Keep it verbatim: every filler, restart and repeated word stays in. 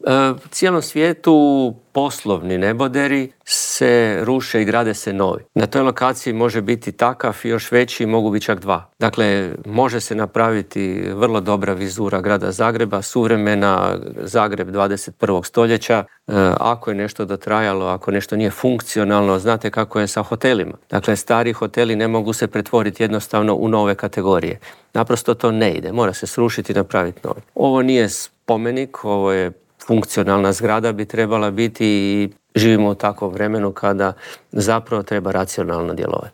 U cijelom svijetu poslovni neboderi se ruše i grade se novi. Na toj lokaciji može biti takav i još veći, mogu biti čak dva. Dakle, može se napraviti vrlo dobra vizura grada Zagreba, suvremena Zagreb dvadeset prvog stoljeća. Ako je nešto dotrajalo, ako nešto nije funkcionalno, znate kako je sa hotelima. Dakle, stari hoteli ne mogu se pretvoriti jednostavno u nove kategorije. Naprosto to ne ide, mora se srušiti i napraviti novi. Ovo nije spomenik, ovo je funkcionalna zgrada, bi trebala biti i živimo u takvom vremenu kada zapravo treba racionalno djelovati.